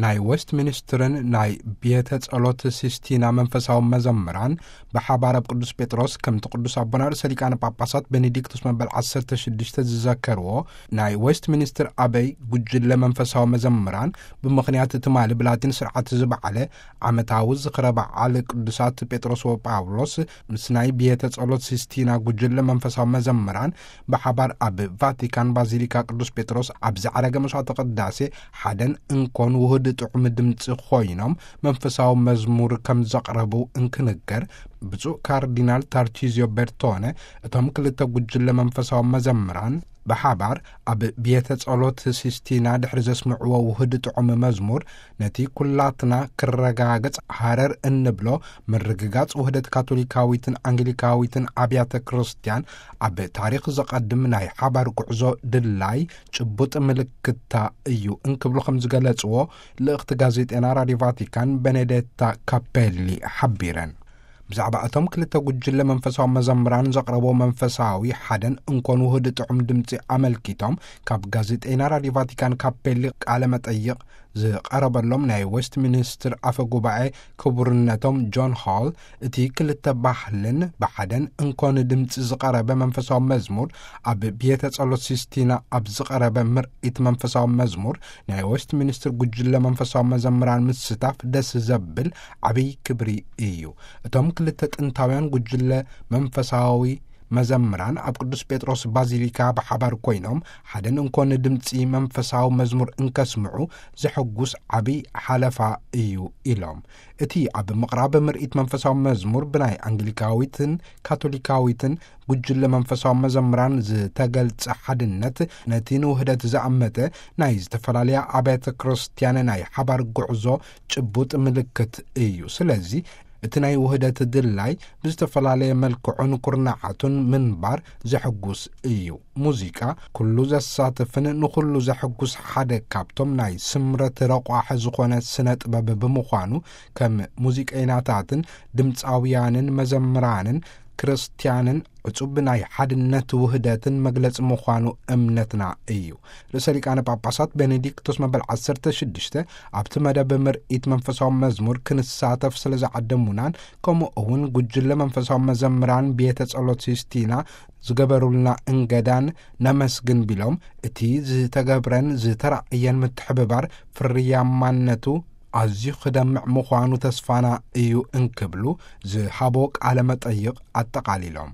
ናይ ዌስት ሚኒስትርን ናይ ቤተ ጸሎት ሲስቲና መንፈሳዊ መዘምራን ብሓባር ኣብ ቅዱስ ጴጥሮስ፣ ከምቲ ቅዱስ ኣቦና ርእሰ ሊቃነ ጳጳሳት ቤኔዲክቱስ መበል ዓሰርተ ሽዱሽተ ዝዘከርዎ፣ ናይ ዌስት ሚኒስትር ኣበይ ጉጅለ መንፈሳዊ መዘምራን ብምኽንያት ትማሊ ብላቲን ስርዓት ዝበዓለ ዓመታዊ ዝኽረ በዓል ቅዱሳት ጴጥሮስ ወጳውሎስ ምስ ናይ ቤተ ጸሎት ሲስቲና ጉጅለ መንፈሳዊ መዘምራን ብሓባር ኣብ ቫቲካን ባዚሊካ ቅዱስ ጴጥሮስ ኣብ ዝዓረገ መስዋዕተ ቅዳሴ ሓደን እንኮን ውህድ ጥዑም ድምፂ ኮይኖም መንፈሳዊ መዝሙር ከም ዘቕረቡ እንክንገር፣ ብፁዕ ካርዲናል ታርቺዚዮ ቤርቶነ እቶም ክልተ ጉጅለ መንፈሳዊ መዘምራን ብሓባር ኣብ ቤተ ጸሎት ሲስቲና ድሕሪ ዘስምዕዎ ውህድ ጥዑም መዝሙር፣ ነቲ ኩላትና ክረጋገጽ ሃረር እንብሎ ምርግጋጽ ውህደት ካቶሊካዊትን ኣንግሊካዊትን ኣብያተ ክርስቲያን ኣብ ታሪኽ ዘቐድም ናይ ሓባር ጉዕዞ ድላይ ጭቡጥ ምልክታ እዩ እንክብሉ ከም ዝገለጽዎ ልእኽቲ ጋዜጤና ራዲዮ ቫቲካን ቤኔዴታ ካፔሊ ሓቢረን። ብዛዕባ እቶም ክልተ ጉጅለ መንፈሳዊ መዘምራን ዘቕረቦ መንፈሳዊ ሓደን እንኮን ውህድ ጥዑም ድምፂ ኣመልኪቶም ካብ ጋዜጠይና ራዲዮ ቫቲካን ካፔሊ ቃለ መጠይቕ ዝቐረበሎም ናይ ዌስት ሚኒስትር ኣፈ ጉባኤ ክቡርነቶም ጆን ሆል፣ እቲ ክልተ ባህልን ብሓደን እንኮን ድምፂ ዝቐረበ መንፈሳዊ መዝሙር ኣብ ቤተ ጸሎት ሲስቲና ኣብ ዝቐረበ ምርኢት መንፈሳዊ መዝሙር ናይ ዌስት ሚኒስትር ጉጅለ መንፈሳዊ መዘምራን ምስታፍ ደስ ዘብል ዓብይ ክብሪ እዩ። እቶም ክልተ ጥንታውያን ጉጅለ መንፈሳዊ መዘምራን ኣብ ቅዱስ ጴጥሮስ ባዚሊካ ብሓባር ኮይኖም ሓደን እንኮን ድምፂ መንፈሳዊ መዝሙር እንከስምዑ ዘሐጉስ ዓብይ ሓለፋ እዩ ኢሎም። እቲ ኣብ ምቕራብ ምርኢት መንፈሳዊ መዝሙር ብናይ ኣንግሊካዊትን ካቶሊካዊትን ጉጅለ መንፈሳዊ መዘምራን ዝተገልጸ ሓድነት፣ ነቲ ንውህደት ዝኣመተ ናይ ዝተፈላለያ ኣብያተ ክርስቲያን ናይ ሓባር ጉዕዞ ጭቡጥ ምልክት እዩ። ስለዚ እቲ ናይ ውህደት ድላይ ብዝተፈላለየ መልክዑን ኩርናዓቱን ምንባር ዘሕጉስ እዩ። ሙዚቃ ኩሉ ዘሳትፍን ንኹሉ ዘሕጉስ ሓደ ካብቶም ናይ ስምረት ረቋሒ ዝኾነ ስነ ጥበብ ብምዃኑ፣ ከም ሙዚቀይናታትን ድምፃውያንን መዘምራንን ክርስቲያንን ዕጹብ ናይ ሓድነት ውህደትን መግለጺ ምዃኑ እምነትና እዩ። ርእሰ ሊቃነ ጳጳሳት ቤኔዲክቶስ መበል ዓሰርተ ሽዱሽተ ኣብቲ መደብ ምርኢት መንፈሳዊ መዝሙር ክንሳተፍ ስለ ዝዓደሙናን ከምኡ እውን ጉጅለ መንፈሳዊ መዘምራን ቤተ ጸሎት ሲስቲና ዝገበሩልና እንገዳን ነመስግን ቢሎም፣ እቲ ዝተገብረን ዝተራእየን ምትሕብባር ፍርያማነቱ ኣዝዩ ክደምዕ ምዃኑ ተስፋና እዩ እንክብሉ ዝሃቦ ቃለ መጠይቕ ኣጠቓሊሎም።